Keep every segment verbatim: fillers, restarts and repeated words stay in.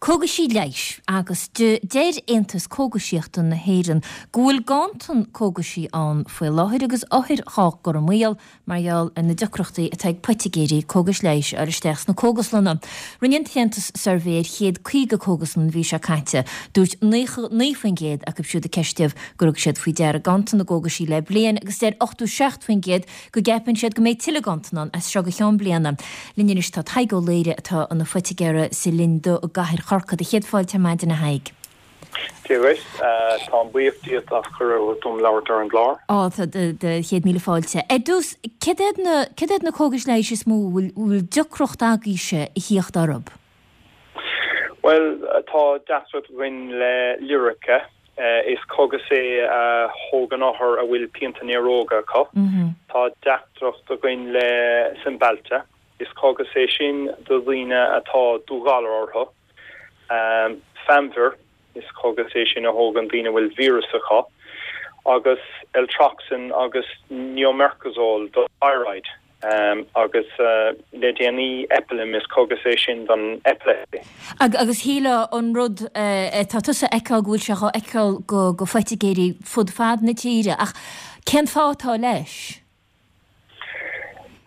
Cógaisí leighis agus deir Aontas Cógaisíochta na hÉireann go bhfuil ganntan cógaisí ann faoi láthair agus othair dhá gcur i mbaol mar gheall ar na deacrachtaí atá ag poitigéirí cógais leighis a fháil isteach sna cógaslanna. Rinne an tAontas suirbhé ar chéad caoga cógaslann an mhí seo caite. Dúirt naoi faoin gcéad acu siúd a ceistíodh gur thug siad faoi deara ganntan na gcógaisí le bliain agus deir ochtó seacht faoin gcéad go gceapann siad go mbeidh tuilleadh ganntan ann as seo go ceann bliana. Linn anois tá Tadhg Ó Laoire atá ina phoitigéir sa Linn Dubh i gcathair Chorcaí. Céad fáilte ar maidin a Thaidhg. Dia dhuit, táim buíoch díot as cuireadh dom labhairt ar an gclár. Á, tá céad míle fáilte. Ar dtús, céard iad na, céard iad na cógais leighis is mó a bhfuil, bhfuil deacracht agaibhse a thíocht orthu? Bhuel, tá deacracht againn le Lyrica. Is cógas é a thógann othair a bhfuil pianta néaróga acu. Tá deacracht againn le Cymbalta. Is cógas é sin do dhaoine atá dúghalar orthu. Famvir, is cógas é sin a thógann daoine a bhfuil víreas acu. Agus Eltroxin agus Neomercazole do thyroid. Agus le déanaí Epilim, is cógas é sin don epilepsy. Agus shílfeá an rud atá tusa a fheiceáil go bhfuil sé dhá fheiceáil go phoitigéirí fud fad na tíre, ach cén fáth atá leis?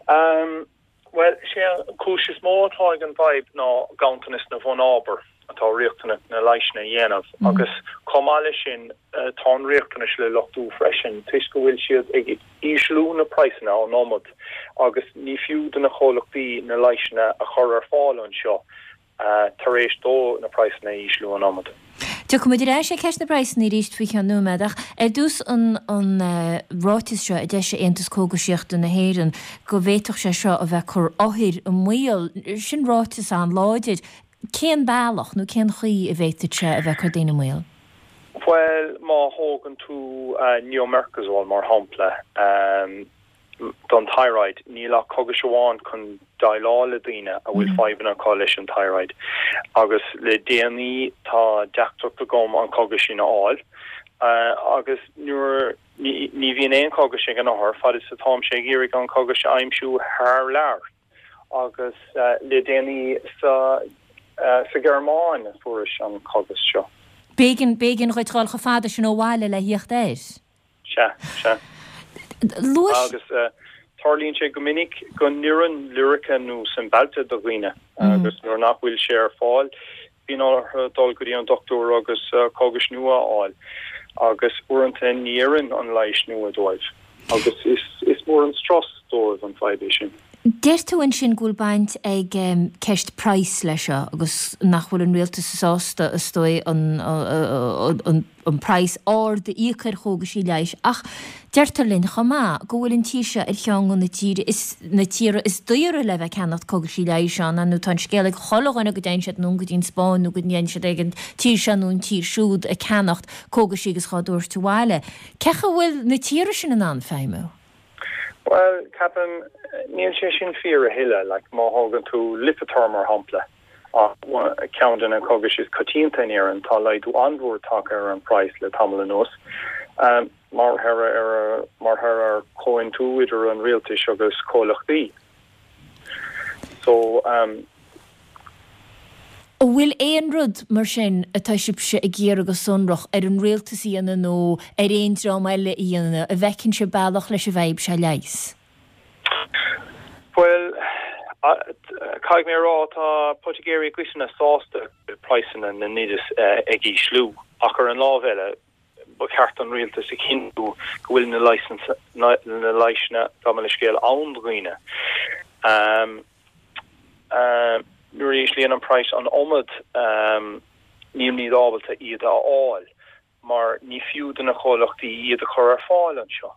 Bhuel, sé an cúis is mó atá ag an bhfadhb ná ganntanas na bhfunábar atá riachtanach na leigheasanna a dhéanamh agus chomh maith leis sin tá an riachtanas le luchtú freisin toisc go bhfuil siad ag ísliú na praghsanna an iomad agus ní fiú do na comhlachtaí na leigheasanna a chur ar fáil anseo tar éis dó na praghsanna a ísliú an iomad. Tiocfaidh muid ar ais ar cheist na bpraghsanna arís faoi cheann nóiméad ach ar dtús an an ráiteas seo a d'eisigh Aontas Cógaisíochta na hÉireann go bhféadfadh sé seo a bheith ag cur othair i mbaol, sin ráiteas an-láidir. Cén bealach nó cén chaoi a bhféadfadh sé a bheith ag cur daoine i mbaol? Bhuel, má thógann tú Neomercazole mar shampla, don thyroid, níl ach cógas amháin chun déileáil le daoine a bhfuil fadhbanna acu leis an thyroid agus le déanaí tá deacracht agam an cógas sin a fháil agus nuair ní bhíonn aon chógas ag an othar fad is atáimse ag iarraidh an cógas a aimsiú thar lear agus le déanaí sa sa Ghearmáin a fuaireas an cógas seo. B'éigean b'éigean dhuit dhul chomh fada sin ó bhaile le thíocht air. Sea, sea. Agus tarlaíonn sé go minic go n-oireann Lyrica nó Cymbalta do dhaoine agus nuair nach bhfuil sé ar fáil, bíonn orthu dul go dtí an dochtúir agus cógais nua a fháil agus uaireanta ní oireann an leigheas nua dóibh agus is mór an strus dóibh an fadhb é sin. Deir tú ansin go bhfuil baint ag ceist praghas leis seo agus nach bhfuil an rialtas sásta, is dóigh, an an praghas ard a íoc ar chógaisí leighis ach deirtear linn chomh maith go bhfuil an tír seo ar cheann de na tíre is na tíortha is daoire le bheith ag ceannacht cógaisí leighis ann nó tá an scéal ag chuile dhuine go dtéann siad anonn go dtí an Spáinn nó go ndéanann siad ag an tír seo nó an tír siúd ag ceannacht cógaisí agus dhá dtabhairt abhaile. Cén chaoi a bhfuil na tíortha sin in ann feidhmiú? Bhuel, ceapaim, níl sé sin fíor a thuilleadh. Like, má thógann tú Lipitor mar shampla, ceann de na cógais is coitianta in Éirinn, tá laghdú an-mhór tagtha ar an praghas le tamall anuas, mar thoradh ar mar thoradh ar chomhaontú idir an rialtais agus comhlachtaí. So, um. An bhfuil aon rud mar sin atá sibhse ag iarraidh go sonrach ar an rialtas a dhéanamh nó ar aon dream eile a dhéanamh a bhfeiceann sibh bealach leis an bhfadhb seo a leigheas? Bhuel, caithfidh mé a rá, tá poitigéirí i gcoitinne sásta go bhfuil praghsanna na n-oideas ag ísliú, ach ar an lámh eile, ba cheart don rialtas a chinntiú go bhfuil na leigheasanna, gabh mo leithscéal, ann do dhaoine. Nuair a íslíonn an praghas an iomad, nílimid ábalta iad a fháil mar ní fiú do na comhlachtaí iad a chur ar fáil anseo.